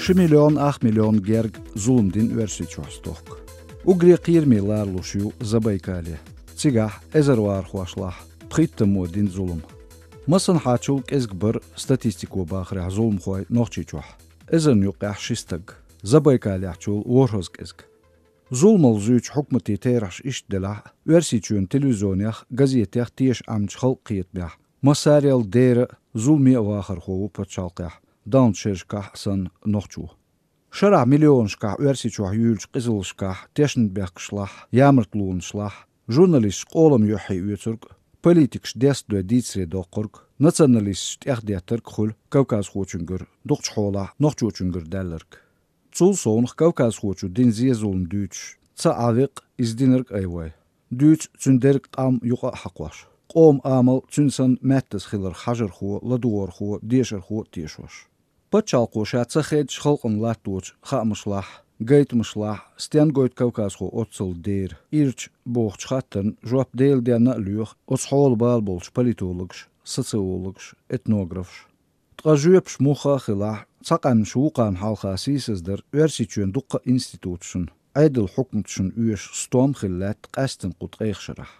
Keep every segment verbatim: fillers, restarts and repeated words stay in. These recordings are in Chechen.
Ши миллион ах миллион герга зулам дина Оьрсийчохь стохка. Уггаре кхераме лоруш ю Забайкале. Цигахь эзарвархошлахь пхийтта мо дина зулам. Массанхьачул кӀезиг бара статистико бахарехь зуламхой Нохчийчохь. Эзарна юккъехь ши стаг. Забайкалехьчул ворхӀазза кӀезиг. Зуламал зуьйчу хьукматийн терахьаш иштта делахь а, Оьрсийчоьнан телевизионех, газетех теша Ӏамчу халкъан кхетамехь, массарел дера а, зуламе а вахархо ву пачхьалкхехь, далначу шерашкахь а санна, нохчо. Шарахь миллионашкахь Оьрсийчохь юьйлучу къизаллашкахь, тешнабехкашлахь, ямартлонашлахь, журналисташ къолам юьххье оьцург а, политикаш дестадой дийцаре доккхург а, националисташ тӀехдеттарг а хуьлу кавказхочуьнгара, дукхачу хьолахь нохчочуьнгара даьлларг. Цул совнаха кавказхочо дина зе-зулам дуьйцуш, ца Ӏа веккъа иза динарг а айвой. Дуьйцу цуьнан дерриг къам юкъа а хьакхош. Къоман амал цуьнан санна маьттаза хиларх хьажархо, ладогӀархо, дешархо а тешош. Пачхьалкхо ша ца хеддаш халкъана латточу хаамашлахь, гайтамашлахь, стенна гойту кавказхо оццул дера, ирча бохучу хаттарна жоп Делан денна а лоьху оцу хьолан бала болчу политологаш, социологаш, этнографаш. Ткъа жоьпаш муха а хилахь, цхьа къаьмнаш вукхарна хьалха сийсаздар Оьрсийчоьнан дуккха а институташна, Ӏедалан хьукматашна оьшуш стом хилла лаьтта къаьсттина кху ткъех шарахь.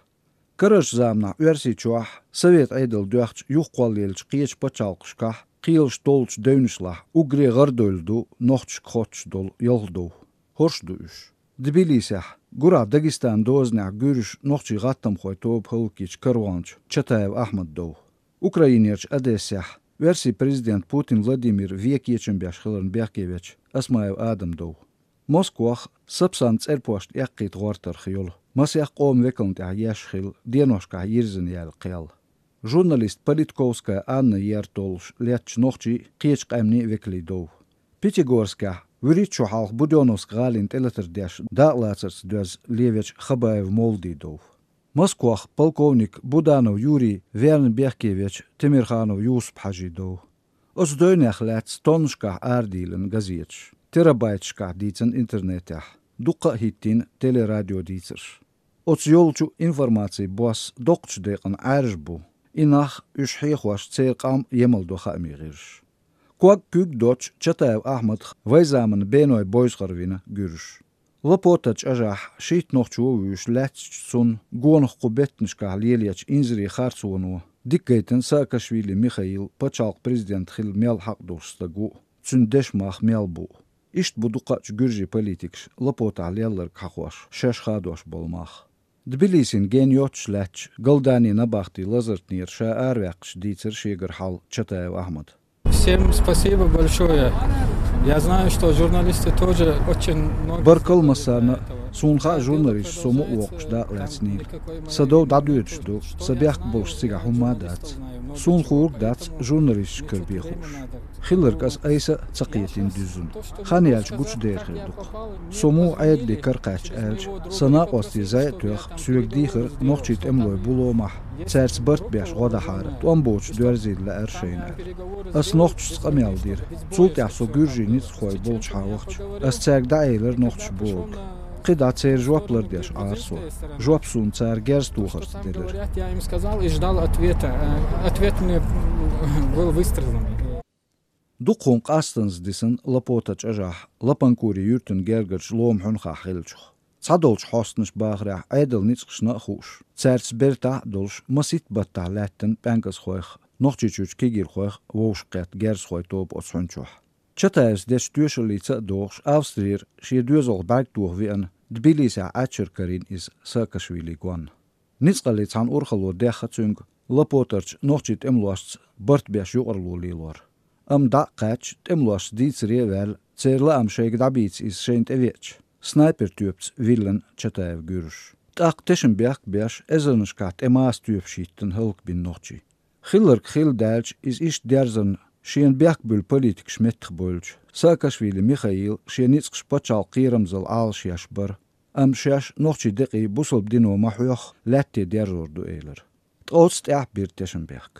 Карарчу заманахь Оьрсийчохь, Совет Ӏедал доьхча юха кхоллаеллачу кхечу пачхьалкхашкахь кхелаш толлучу девнашлахь уггаре гӀардевлла ду нохчашка хоттуш долу ялх дов. ХӀорш ду уьш. Тбилисехь, гурахь Дагестанан дозанехь гуьржаша нохчийн гӀаттамхойн тоба хӀаллакйича каравеллачу Чатаев Ахьмадан дов. Украинерчу Одессехь оьрсийн президент Путин Владимир вен кечам беш хиларна бехке вечу Осмаев Адаман дов. Москвахь Сапсан цӀерпошт эккхийта гӀортарх йолу, масех къоман векална тӀехь еш хилла, деношкахь йирзина яьлла кхел. Журналист Политковская Анна ер толлуш леттачу нохчийн а, кхечу къаьмнийн а векалийн дов. Пятигорскехь вуьрхӀитта шо хьалха Будённовск гӀалина тӀелатар деш дакъалацарца доьзна левечу Хабаев Мовладин дов. Москвахь полковник Буданов Юрий верна бехке вечу Темирханов Юсуп-Хьаьжин дов. Оцу девнех лаьцна тоннашкахь арадийлина газеташ, терабайташкахь дийцина интернетехь, дуккха а хӀиттийна телерадиодийцарш. Оцу йолчу информацин бос доккхачу декъана Ӏаьржа бу, и нах, уьш хьехош, церан къам емал до хаамийн гӀирсаш. Ког куьг доцчу Чатаев Ахьмадах вайн заманан беной бовза гӀар вина гуьржаша. Лапота чӀажахь шийтта нохчо а вуьйш лаьцначу цунна гонах кху беттанашкахь лелечу инзаре харцоно дика гайтина Саакашвили Михаил пачхьалкхан президент хила мел хьакъ долуш стаг ву а, цуьнан дешан мах мел бу а. Иштта бу дукхачу гуьржийн политикаша Лапотахь лелларг хьахош, шаьш хадош болу мах. Тбилисина ген йоццуш лаьттачу Галданийн набахтин лазартнера ша араваьккхича дийцира шегара хьал Чатаев Ахьмада. Всем спасибо большое. Я знаю, что журналисты тоже очень много... Баркалла массарна а, суна хаьа, журналисташ со мукъа воккхуш дакъалаьцнийла. Сан дов дӀадоьдуш ду, сан бехк болуш цигахь хӀумма а дац. Суна хуур а дац журналисташкара бен хууш. Хилларг аса айса а ца кхетийна дуьззина. Хан яьлча гучудер хир ду-кх. Со муха Ӏедале кара кхаьчча аьлча, сан накъостийн зӀе а тоьхна, соьга дийхира нохчийн тӀемалой бу ломахь, цаьрца барт беш гӀо дахьара, тӀом боцуш доьрзийла лаьара шайна аьлла. Ас нохчашца къамел дира. Цул тӀаьхьа со гуьржийн ницкъахой болчухьа вахча, ас цаьрга дӀаэлира нохчаша бохург. КхидӀа церан жоп лардеш Ӏара со. Жоп суна цара герз тохарца делира. Я им сказал и ждал ответа. Э, ответ мне был выстрелом. Дукха хӀума къастаза дисина Лапота чӀажахь, Лапанкури юьртан гергарчу Лома хьуьнхахь хиллачух. Цхьадолчу хьостанаша бахарехь, Ӏедалан ницкъашна а хууш, цаьрца бертахь а долуш, масийтта баттахь лаьттина пӀаьнкӀазхойх, Нохчийчуьрчу кегийрхойх вовшахкхетта герзахойн тоба оцу хьуьнчохь. Чатаевс дечу тоьшаллица а догӀуш, Австрера шен доьзалх бӀаьрг тоха веана, Тбилисехь Ӏаччара карийна иза Саакашвилин гонна. Ницкъаллин цхьана урхалло дехна цуьнга Лапотарчу нохчийн тӀемалошца барт беш юкъарло лелор. Амма дӀа а кхаьчча, тӀемалошца дийцаре а ваьлла, церан лаам шайга дӀабийца иза шайна тӀевеача, снайпер тоьпаца виллина Чатаев гуьржаша. ТӀаккха тешнабехк а беш, эзарнашкахь тӀе маса тоьпаш хӀиттина, хӀаллакбина нохчий. Хилларг хилла даьлча, иза иштта дерзарна, шена бехк буьллу политикаш меттахбевлча, Саакашвили Михаил шен ницкъаш пачхьалкхан кхерамзалла Ӏалашъеш бара, амма шаьш нохчийн декъий бусалба дино ма хьоьхху, лаьтте дерзор ду элира. Ткъа оцу тӀехь бира тешнабехк.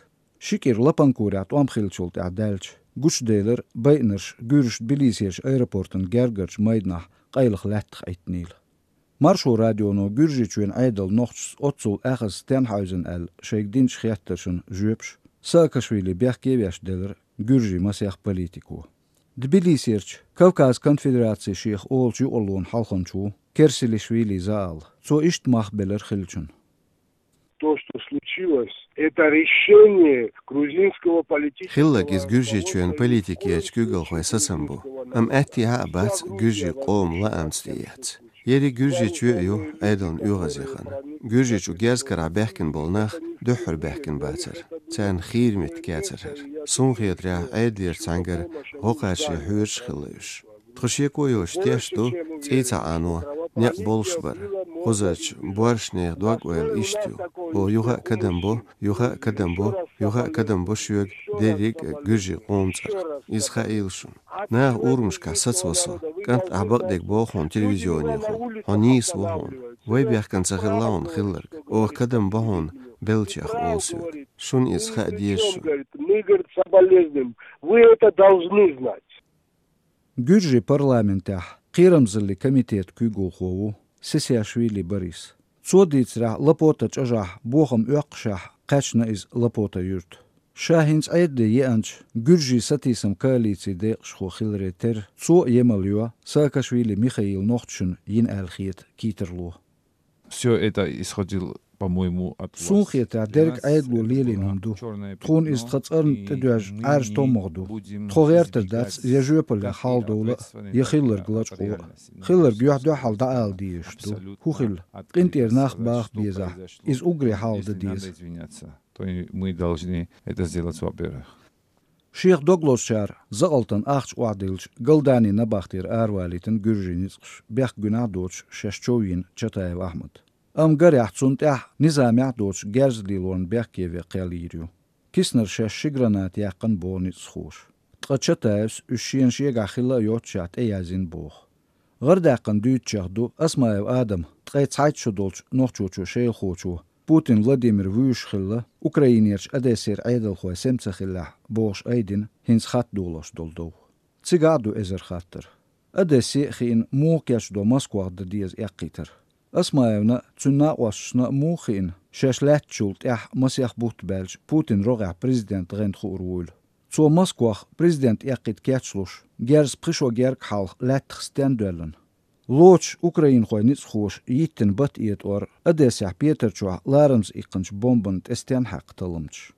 Ши кӀира Лапанкурехь тӀом хиллачул тӀаьхьа даьлча, гучуделира байинарш гуьржаша Тбилисерчу аэропортан гергарчу майданахь къайлаха лаьттах Ӏиттинийла. Маршо радионо Гуьржийчоьнан Ӏедалан нохчашца оццул аьхаза стенна хьаьвзина аьлла шайга динчу хеттаршна жоьпаш Саакашвили бехке а веш делира гуьржийн масех политико. Тбилисерчу Кавказ конфедерацин шех олучу юкъарлонан хьалханча ву Керсилишвили Заал. Цо иштта мах белира хиллачунна. То, что случилось, это решение грузинского политического... Хилларг иза Гуьржийчоьнан политикерчу куьйгалхойн сацам бу. Амма аьттехьа а бац Гуьржийн къоман лаамца тӀеэцна. Ерриг Гуьржийчоь а ю Ӏедална оьгӀазъяхана. Гуьржийчу герз карахь баьхкина болу нах дуьххьара баьхкина бацара. Царна хийра меттиг яцара хӀара. Суна хетарехь, Ӏедалера цхьаьнгара гӀо кхача хьоьжуш хилла уьш. Тхо шеко йоцуш тешна ду, цӀий ца Ӏано некъ болуш бара. Кхузарчу боьршачу нехан дог-ойла иштта ю. Оха юха а кадам бо, юха а кадам бо, юха а кадам бо шуьга дерриг а гуьржийн къоман цӀарах. Иза хаийла шуна. Наха урамашкахь сацаво со. КӀант, ахь бакъдерг боху хьуна телевизионехула. Хьо нийса ву хьуна. Вай бехкана ца хилла хьуна хилларг. Оха кадам бо хьуна беллачех олу соьга. Шуна иза хаа деза шуна. Мы, говорит, соболезнуем. Вы это должны знать. Гуьржийн парламентехь кхерамзаллин комитетан куьйгалхо ву Сесиашвили Борис. Цо дийцарехь, Лапота чӀожахь бохам оьккхушехь кхаьчна иза Лапота юьрта. Ша хӀинца Ӏедале еанчу Гуьржийн сатийсам коалицин декъашхо хиларе терра, цо а емал йо Саакашвили Михаила нохчашна йина аьлла хета кийтарло. Всё это исходило, по-моему, от вас. Суна хетарехь, дерриг Ӏедало лелийна хӀума ду. Тхуна иза тхан цӀарна тӀедоьжна Ӏаьржа томмагӀа ду. Тхо гӀертар дац я жоьпаллех хьалдовла а, я хилларг лачкъо а. Хилларг юьхь-дуьхьал дӀаала дезаш ду. ХӀун хилла? КъинтӀера нах баха безахь, иза уггаре хьалха дан деза. То есть мы должны это сделать, во-первых. Шех дог лозучара закъалтан ахча охьадиллича, Галданин набахтера аравалийтина гуьржийн ницкъаш, бехк гуьнахь а доцуш, шаьш чов йина Чатаев Ахьмад. Амма гарехь, цунна тӀехь низамехь а доцуш герз лелорна бехке вен кхел йийр ю. Киснара шаьш ши граната яьккхина боху ницкъахоша. Ткъа Чатаевс уьш шена шегахь хилла а йоццушехь тӀеязйина боху. ГӀардаьккхина дуьйцучех ду Осмаев Адама, ткъе цхьайтта шо долчу нохчочо-шелахочо, Путин Владимир вуьйш хилла, Украинерчу Одессера Ӏедалхой сема ца хиллехь, бохуш айдина хӀинца хатта долош долу дов. Цигахь а ду эзар хаттар. Одессе а хиъна, муха кечдо Москвах дан деза эккхийтар? Осмаевна а, цуьнан накъосташна а муха хиъна, шаьш лаьттачул тӀаьхьа масех бутт баьлча, Путинан рогӀехь президент гӀанта хуур вуйла? Цо Москвах президент эккхийта кечлуш, герза пхи шо гергга хьалха лаьттах стенна доьллина? Лоцуш украинхойн ницкъахоша йиттина бат-этӀор Одессехь Петар чохь ларамза иккхинчу бомбанна тӀе стенна хьаькхна талламчаш?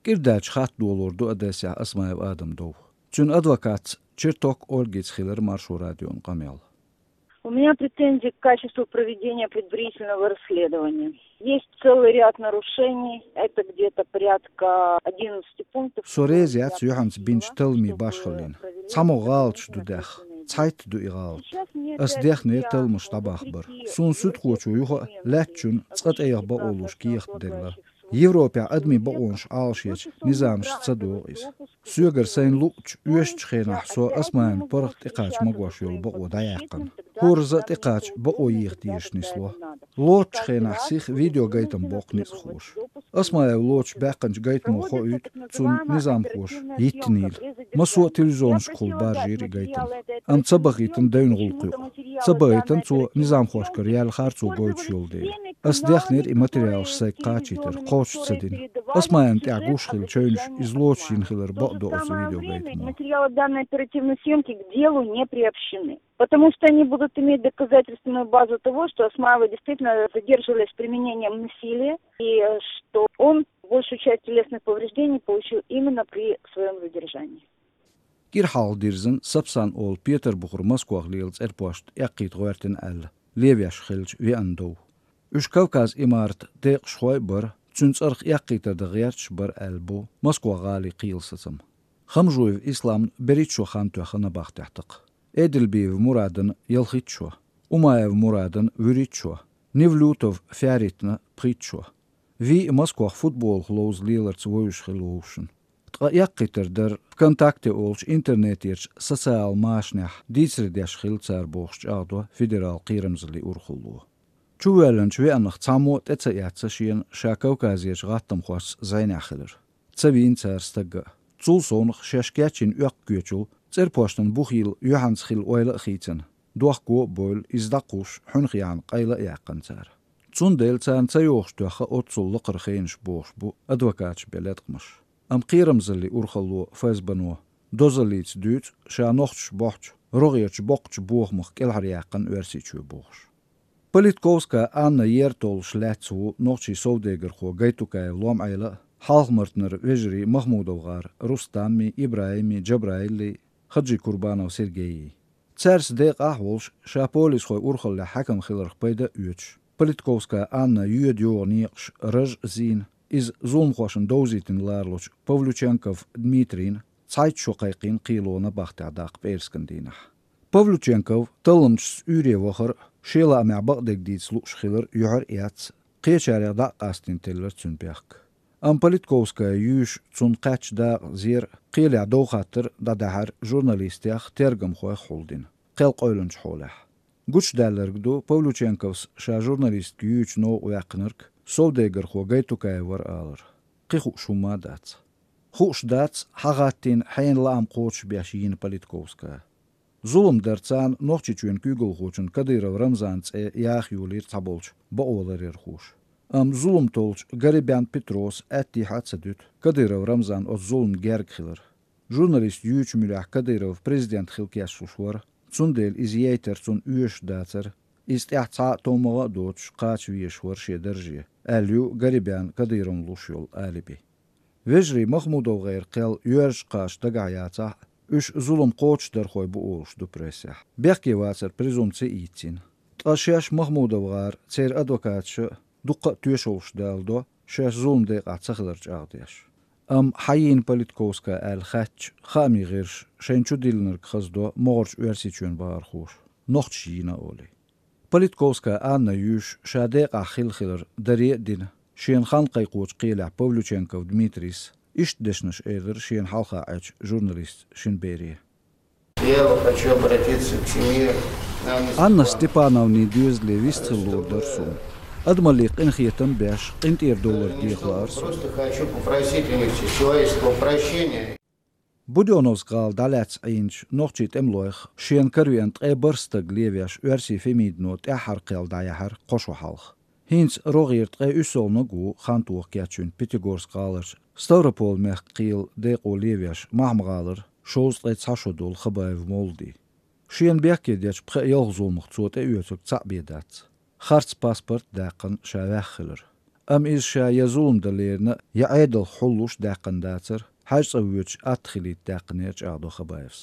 КӀирдаьлча хатта долор ду Одессехь Осмаев Адама дов. Цуьнан адвокатца Черток Ольгица хилира Маршо радион къамел. У меня претензии к качеству проведения предварительного расследования. Есть целый ряд нарушений. Это где-то порядка одиннадцати пунктов. Со реза яц юьхьанца бинчу талламийн башхаллина. ЦхьамогӀа гӀалаташ ду даьхна. Цхьайтта ду и гӀалат. Ас дехнера талламаш дӀабахбар. Суна суьдхочо юха а лаьттачунна цкъа тӀеяха бакъо луш кехат делла. Европехь адамийн бакъонаш Ӏалашъечу низамашца ца догӀу иза. Соьгара сайна луъучу, оьшучу хенахь со Осмаевн паргӀат тӀекхача магош йолу бакъо дӀаяьккхина. ХӀоразза а тӀекхача бакъо еха дезаш нисло. Лоцучу хенахь сиха видеогайтам боккху ницкъахоша. Осмаев лоцуш баьккхинчу гайтамо хоуьйту цунна низамхоша йиттинийла. Массо а телевизионашкахула баржийра и гайтам. Амма ца бахийтина девнан гӀуллакх юкъа. Ца бахийтина цо низамхошкара яьлла харцо гойтуш йолу дела. Ас дехнера и материалаш сайга кхачийтар, кхочуш ца дина. Осмаевн тӀехь гуш хилла чевнаш иза лоцуш йина хилар бакъдо оцу видеогайтамо. Материалы данной оперативной съёмки к делу не приобщены. Потому что они будут иметь доказательственную базу того, что Осмаева действительно задерживались с применением насилия, и э, что он большую часть телесных повреждений получил именно при своем задержании. КӀира хьалха дирзина Сапсан олу Петарбухара Москох лела цӀерпошт эккхийта гӀоьртина аьлла, левеш хиллачу веана дов. Уьш Кавказ имарат декъашхой а бара, цуьнан цӀарах эккхийтар дан гӀерташ бара аьлла бу Москох гӀалин кхелан сацам. Хамжуев Исламна берхӀитта шо хан тоьхна набахтехь такха. Эдельбиев Мурадна ялхитта шо, Умаев Мурадна вуьрхӀитта шо, Невлютов Фяритна пхийтта шо. Вий а Москох футболах ловза леларца вевзаш хилла вовшашна. Ткъа эккхийтар дара ВКонтакте олучу интернетерчу социал машанехь дийцаре деш хилла цара бохуш чӀагӀдо федерал кхерамзаллин урхалло. Чувоьллинчу веанах цхьаммо а тӀе ца эцна шена ша Кавказерчу гӀаттамхошца зӀенехь хилар. Ца вийна цара стагга а. Цул совнаха шаьш кечйина оьккху коьчул цӀерпоштан бухийла юьхьанца хилла ойла а хийцина, дохко а бевлла, иза дӀакхуссуш, хьуьнах яьхьна къайла а яьккхина цара. Цундела царна ца йохуш тоьхна оццул лакхара хенаш бохуш бу адвокаташа бен латкъамаш. Амма кхерамзаллин урхалло ФСБ-но дозаллица дуьйцу ша нохчаша бохьучу рогӀерчу боккхачу бохамах кӀелхьаръяьккхина Оьрсийчоь бохуш. Политковская Анна ертолуш лаьцна ву нохчийн совдегархо Гайтукаев Лом-Ӏела а, Хьалха-Мартанара вежарий МахмудовгӀара Рустаммий, ИбрахӀиммий, Джабраилий, Хаджикурбанов Сергейий. Цаьрца декъахь а волуш, ша полисхойн урхаллехь хьаькам хиларх пайда а оьцуш, Политковская Анна йоьду-йогӀу некъаш раж а зийна, иза зуламхошна довзийтина лоручу Павлюченков Дмитрийна цхьайтта шо кхайкхийна кхело набахтехь даккха пӀераскан дийнахь. Павлюченков талламчашца уьйре вахар а, шен лаамехь бакъдерг дийца лууш хилар а юьхьар а эцна, кхечарех дӀа а къастийна теллира цуьнан бехк. Амма Политковская юьйш цунна кхаьчча дакъа зер а, кхелехь дов-хаттар а дӀадаьхьира журналистех, тергамхойх хьулдина, кхел къевлинчу хьолехь. Гучудаьлларг ду Павлюченковс ша журналистка юьйчу новкъа ваьккхинарг совдегархо Гайтукаев вара алар. Кхин хууш хӀумма а дац. Хууш дац, хьан гӀаттийна хьенан лаам кхочушбеш йийна Политковская. Зулам дар царна Нохчийчоьнан куьйгалхочун Кадыров Рамзанан цӀе яха йолийра цхьаболчу бакъоларъярхоша. Амма зулам толлучу Гарибян Петрос аьттехьа а ца дуьту Кадыров Рамзан оцу зуламна герга хилар. Журналист юьйчу муьрехь Кадыров президент хила кечлуш вара, цундела иза яйтар цунна оьшуш дацара, иза тӀаьхьа цхьа а товмагӀа а доцуш кхача везаш вара шен дарже, аьлла ю Гарибяна Кадыровна луш йолу алиби. Вежарий МахмудовгӀеран кхел йоьрзуш кхача дагахь яцахь а, уьш зулам кхочушдархой бу олуш ду прессехь. Бехке вацар презумпци а йийцина. Ткъа шаьш МахмудовгӀара, церан адвокаташа а дуккха а тоьшаллаш даладо, шаьш зуламан декъахь ца хилар чӀагӀдеш. Амма хьан йийна Политковская аьлла хаьттича, хаамийн гӀирсаша шайна чу диллинарг хаздо могӀарерчу Оьрсийчоьнан бахархоша, нохчаша йийна а олий. Политковская Анна юьйш ша декъахь хилла хилар даре а дина, шена хан кхайкхочу кхелехь Павлюченков Дмитрийс иштта дешнаш элира шена хьалха Ӏечу журналистан шина бере. Я хочу обратиться к семье Анны Анна Степановны. Степановнин доьзале вистхила луур дара суна. Адамаллин къинхетам беш, къинтӀера довлар деха лаара суна. Просто хочу попросить у них человеческого прощения. Будённовск гӀала дӀалаьцна Ӏийначу нохчийн тӀемалойх шена каравеана ткъе бархӀ стаг левеш оьрсийн Фемидино тӀаьххьара кхел дӀаяьхьира кхо шо хьалха. ХӀинца рогӀера ткъе уьссалгӀаниг ву хантоха кечйина Пятигорск гӀаларчу Ставрополь-мехкан кхелан декъо левеш Махьма-гӀалара шовзткъе цхьа шо долу Хабаев Молди. Шена бехке дечу пхеа-ялх зуламах цо тӀеоьцург цхьаъ бен дац. Харц паспорт а даьккхина, ша ваьхна хилар. Амма иза ша я зулам дан лерина, я Ӏедалх хьуллуш даьккхина дацара, хьаьж цӀа воьдуш атта хилийта даьккхинера, чӀагӀдо Хабаевс.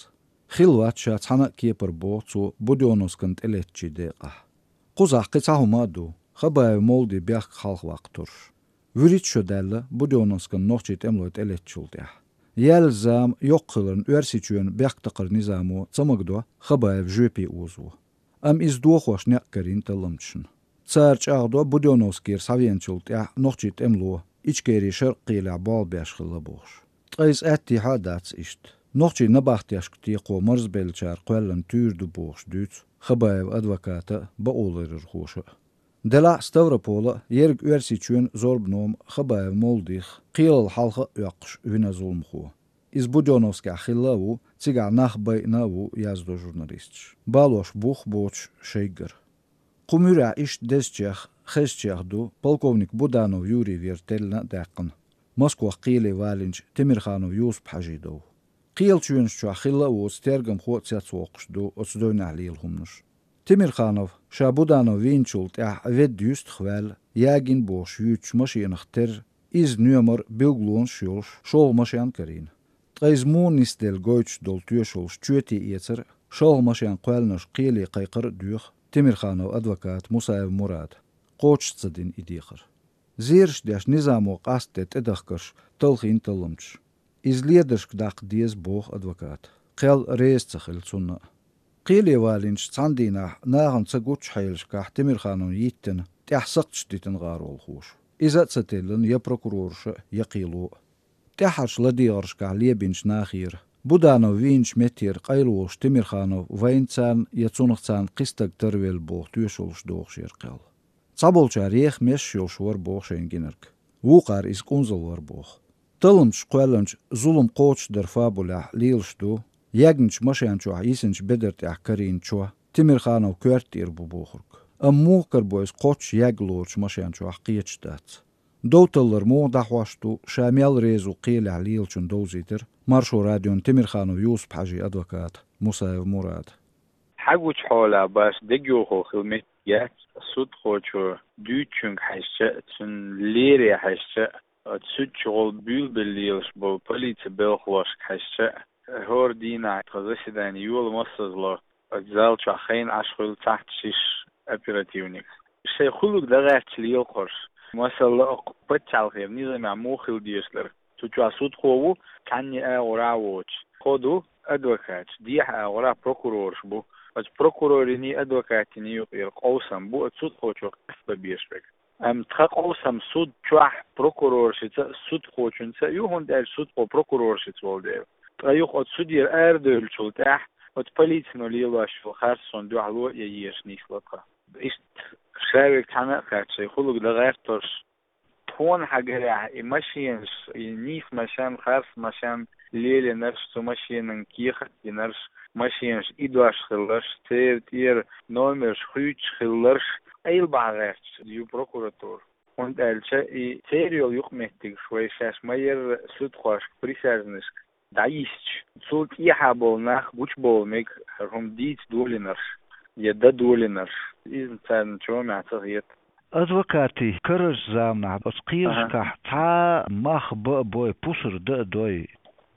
Хилла вац ша цхьана а кепара, боху цо, Будённовскана тӀелеттачийн декъахь. Кхузахь кхин цхьа хӀума а ду, Хабаев Молдин бехк хьалхаваккха тарлуш. ВуьрхӀитта шо даьлла Будённовскана нохчийн тӀемалой тӀелеттачул тӀаьхьа. Яьллачу зама йоккха хиларна, Оьрсийчоьнан бехктакхаран низамо ца магадо Хабаев жоьпе озаво. Амма иза дохош некъ карийна талламчашна. Цара чӀагӀдо, Будённовскера схьавеначул тӀаьхьа нохчийн тӀемало Ичкерин шаркъ кхелехь болх беш хилла бохуш. Ткъа иза аьттехьа а дац иштта. Нохчийн набахтешка текхо марзбеллачара кхоьллина туьйра ду бохуш дуьйцу Хабаевн адвоката а, бакъоларъярхоша а. Делахь а Ставрополан а, ерриг Оьрсийчоьнан а зорбан-нома Хабаев Молдих кхелал хьалха а оьккхуш вина зуламхо. Иза Будённовскехь хилла а ву, цигахь нах байина а ву, яздо журналисташа, балош бух а боцуш шайггара. Кху муьрехь иштта дезачех, хезачех ду полковник Буданов Юрий вер теллина а даьккхина, Москвахь кхеле валийначу Темирханов Юсуп-Хьаьжин дов. Кхелан чоьнаш чохь хилла а воцу тергамхо а цецвоккхуш ду оцу девнехь лела хӀуманаш. Темирханов ша Буданов вийначул тӀаьхьа ведда юьстах ваьлла, ягийна бохуш юьйцучу машенах терра, иза номер, билгалонаш а йолуш, шолгӀа машен карийна. Ткъа иза муха нисделла гойтуш долу тоьшаллаш чоьте эцар а, шолгӀа машен кхоьллинарш кхеле кхайкхар а доьху Темирхановн адвоката Мусаев Мурада, кхочуш ца дина и дехар. Зераш деш низамо къастаде тӀедахкарш талхийна талламчаша. Иза ледаршка даккха деза, боху адвоката, кхел реза ца хилла цунна а. Кхеле валийначу цхьана дийнахь нахана ца гуччу хьелашкахь Темирхановна йиттина, тӀехь сакхташ дитина гӀаролхоша. Иза а ца теллина я прокурораша а, я кхело а. ТӀаьххьарчу ладегӀаршкахь лебинчу нахера, Буданов вийначу меттера къайлаволуш Темирханов вайна царна я цунах царна кхин стаг тарвелла боху тоьшаллаш дохуш яра кхел. Цхьаболчара еха месаш йолуш вара боху шайна гинарг. Вукхара иза кӀунзал вара боху. Талламчаша кхоьллинчу зулам кхочушдаран фабулехь лелаш ду, ягначу машен чохь йисинчу бедар тӀехь карийна чо Темирхановн коьрта тӀера бу бохург. Амма муха карабо иза кхоччуш ягга лоручу машен чохь, кхеташ дац. Дов таллар муха дӀахьош ду, ша мел реза ву кхелехь лелачунна довзийтар, Маршо радион Темирханов Юсуп-Хьажий адвоката Мусаев Мурада. Хьагучу хьолехь баш дегайовхо хила меттиг яц судхочо дуьйцучуьнга хьаьжча а, цуьнан лере хьаьжча а, оцу суьдчу гӀолла буьйлабелла лелаш болу полицин белхалошка хьаьжча а, хӀора дийнахь тхан заседани йола массазло оцу зал чохь хьайна Ӏаш хуьлу цхьацца шиш оперативник. Шайн хуьлург дан гӀерташ лелахь хӀорш. Масала, окху пачхьалкхера низамехь муха хила дезаш дара. Цу чохь судхо ву, цхьанний агӀор а воцуш. Кхо ду адвокаташ, дехьа агӀор а прокурораш бу. Оцу прокурорийн, адвокатийн юкъара къовсам бу оцу судхочо къастабан безаш верг. Амма тхан къовсам суд чохь прокуроршца а, судхочуьнца а ю, хӀунда аьлча судхо прокуроршца волу дела. Ткъа юха оцу судера арадевллачул тӀаьхьа оцу полицино лелош йолу харц суна дуьхьало а ян езаш нисло тхан. Иштта ша верг цхьаьна а кхаьчча, шайн хуьлург дан гӀерта хӀорш. Тхуна хьагарехь, и машенаш, и нийса машен, харц машен лелийнарш, цу машенан кехат динарш, машенаш идош хилларш, церан тӀера номерш хуьйцуш хилларш, Ӏийла бахьа гӀерташ ю прокуратура. ХӀунда аьлча и церан йолу юкъаметтигаш вай шаьш ма-ярра судхошка, присяжнашка дӀайисча, цул тӀехьа болу нах гучубовла мега хӀара хӀума дийца долийнарш я дан долийнарш. Иза царна чомехь ца хета. Адвокатийн карарчу заманахь оцу кхиерашкахь цхьа а мах бан а бой, пусар дан а дой?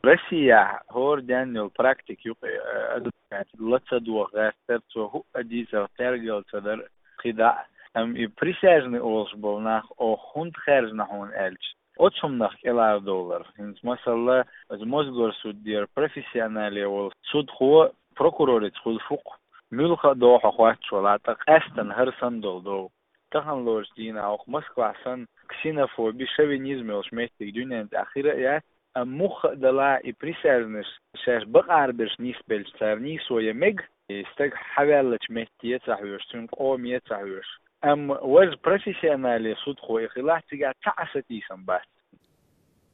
Россехь хӀора денна йолу практика юкъа, э, адвокат ла ца доха гӀертара, цо хӀуъа дийцарх тергалла ца дара кхидӀа а. Амма и присяжный олуш болу нах, оха хӀунда хаьржина хьуна аьлча, оцу хӀуманах кӀелхьардовлар. ХӀинца, масала, оцу Мосгорсудера профессионале волу судхо прокурорица хуьлуш ву-кх. Муьлхха а догӀу хьо хоттуш валахь, ткъа къаьстина хӀара санна долу дов. Тахана лоручу дийнахь окху Москвахь санна ксенофоби, шовинизм йолуш меттиг дуьнен тӀехь хир а яц, амма муха а далахь, и присяжнаш шаьш бакъ араберш нисбелча, цара нийсо ян мега, и стаг хьаваьллачу метте а ца хьоьжуш, цуьнан къоме а ца хьоьжуш. Амма важа профессионале судхо и хилахь, цигахь цхьа а сатийсам бац.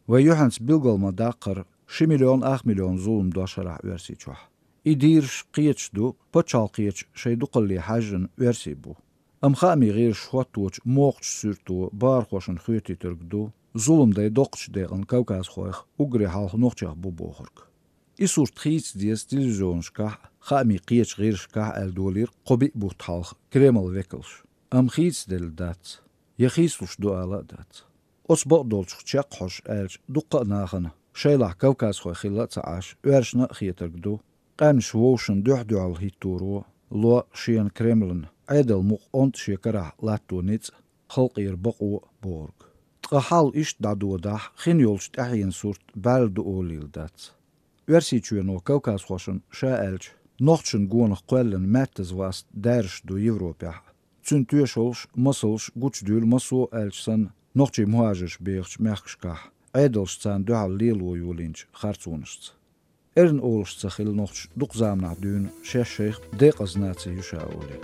Вай юьхьанца билгал ма-даккхара, ши миллион ах миллион зулам дош хӀара Оьрсийчохь. И дийраш кхеташ ду, пачхьалкхечу шайн дукхалле хьаьжжина оьрсий бу. Амма хаамийн гӀирсаша хӀотточу мохчу суьрто бахархошна хоьтуьйтург ду, зулам дай доккхачу декъана кавказхойх, уггаре хьалха нохчех бу бохург. И сурт хийца деза телевизионашкахь а, хаамийн кхечу гӀирсашкахь а аьлла долийра кхо-биъ бутт хьалха Кремлан векалша. Амма хийцаделла дац. Я хийцалуш ду ала а дац. Оцу бакъдолчух чекххьожуш аьлча, дуккха а нахана, шайлахь кавказхой хилла а ца Ӏаш, оьрсашна а хетарг ду, къаьмнаш вовшашна дуьхь-дуьхьал хӀитторо, ло шена Кремлан Ӏедалан мукъа онда шен карахь латто ницкъ, халкъера бакъо а бохург. Ткъа хьал иштта дӀадодахь, хин йолчу тӀаьхьенан сурт бӀаьрла ду олийла дац. Оьрсийчоьно кавказхошна, ша аьлча, нохчашна гонах кхоьллина маьттаза васт даьржаш ду Европехь. Цуьнан тоьшаллаш, масалш гучудуьйлу массо а аьлча санна, нохчий мухӀажарш бехачу мехкашкахь, Ӏедалша царна дуьхьал лело йолийначу харцонашца. Эрна олуш ца хилла нохчаша дукха заманахь дуьйна шаьш шайх декъаза наци ю ша олий.